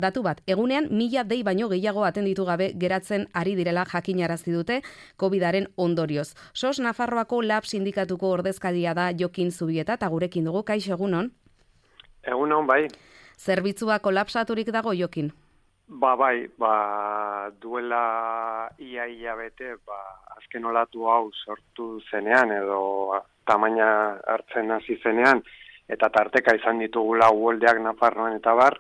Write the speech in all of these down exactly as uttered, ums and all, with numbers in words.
Datu bat, egunean mila dei baino gehiago atenditu gabe geratzen ari direla jakinarazi dute COVIDaren ondorioz. SOS Nafarroako Lab sindikatuko ordezkaria da Jokin Zubieta eta gurekin dugu. Kaixo, egunon? Egunon, bai. Zerbitzua kolapsaturik dago, Jokin? Ba, bai, ba, duela ia ia bete, ba, azken olatu hau sortu zenean edo tamaina hartzen hasi zenean eta tarteka izan ditugula uholdeak Nafarroan eta bar,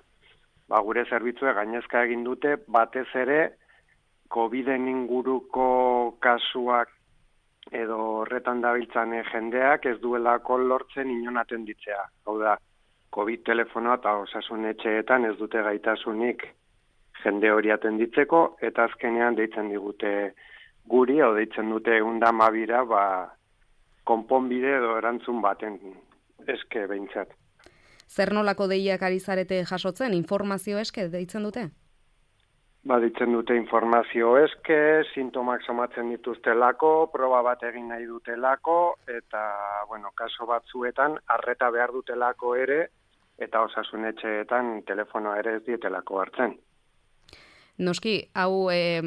ba, gure zerbitzue gainezka egin dute, batez ere COVIDen inguruko kasuak edo horretan dabiltzan jendeak ez duelako lortzen inon atenditzea. Hau da, COVID telefonoa eta osasun etxeetan ez dute gaitasunik jende hori atenditzeko, eta azkenean deitzen digute guri, o deitzen dute eunda mabira, ba, konponbide edo erantzun baten eske behintzat. Zer nolako deiak ari zarete jasotzen, informazio eske deitzen dute? Ba, deitzen dute informazio eske, sintomak somatzen dituztelako, proba bat egin nahi dutelako, eta, bueno, kaso batzuetan, arreta behar dutelako ere, eta osasun etxeetan telefonoa ere ez dietelako hartzen. Noski, hau e,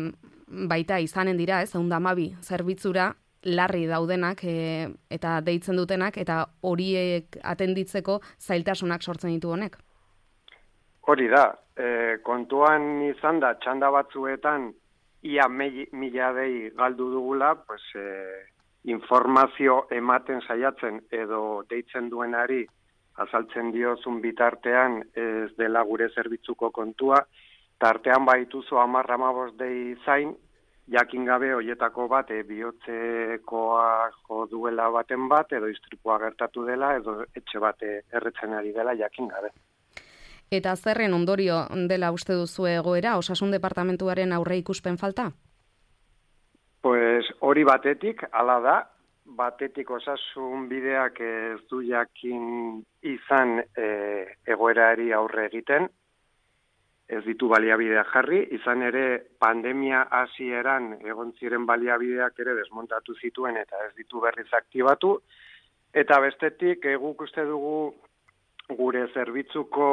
baita izanen dira, ez, ehun eta hamabi zerbitzura, larri daudenak e, eta deitzen dutenak, eta horiek atenditzeko zailtasunak sortzen ditu honek? Hori da, e, kontuan izan da, txanda batzuetan, ia me, mila dei galdu dugula, pues, e, informazio ematen saiatzen edo deitzen duenari azaltzen diozun bitartean ez dela gure zerbitzuko kontua, tartean baituzu hamar hamabost dei zain, jakin gabe hoietako bat e, bihotzekoa jo duela baten bat, edo istripua gertatu dela, edo etxe bat erretzen ari dela jakin gabe. Eta zerren ondorio dela uste duzu egoera, osasun departamentuaren aurre ikuspen falta? Pues hori batetik, hala da, batetik osasun bideak ez du jakin izan e, egoerari aurre egiten, ez ditu baliabideak jarri, izan ere pandemia hasieran egon ziren baliabideak ere desmontatu zituen eta ez ditu berriz aktibatu, eta bestetik guk uste dugu gure zerbitzuko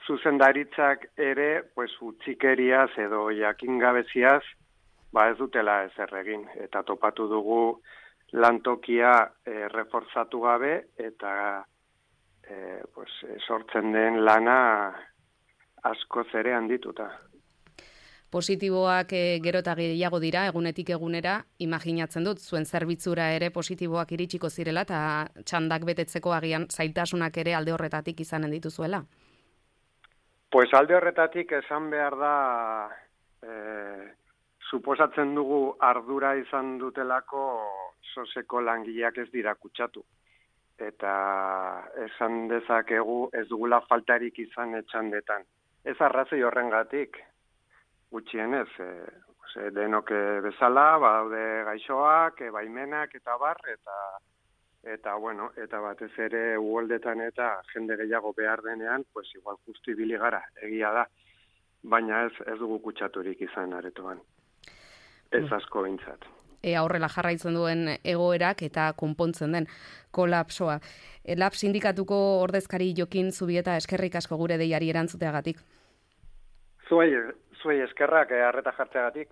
zuzendaritzak ere pues, utzikeriaz edo jakingabeziaz ba ez dutela ezer egin, eta topatu dugu lantokia e, reforzatu gabe eta e, pues, sortzen den lana askoz ere handituta. Positiboak e, gero eta gehiago dira, egunetik egunera, imaginatzen dut, zuen zerbitzura ere positiboak iritsiko zirela, eta txandak betetzeko agian zailtasunak ere alde horretatik izanen dituzuela? Pues alde horretatik esan behar da, e, suposatzen dugu ardura izan dutelako soseko langileak ez dira kutsatu. Eta esan dezakegu ez dugula faltarik izan etxandetan. Ez arrazoi horrengatik, gutxienez, e, denok bezala, badaude gaixoak, e, baimenak eta bar, eta, eta, bueno, eta batez ere uholdetan eta jende gehiago behar denean, pues igual justu ibili gara, egia da, baina ez, ez dugu kutsaturik izan aretoan. Ez asko behintzat. Ea horrela jarraitzen duen egoerak eta konpontzen den kolapsoa. Lab sindikatuko ordezkari Jokin Zubieta, eskerrik asko gure deiari erantzuteagatik. Zuei, zuei eskerrak, arreta jartzeagatik.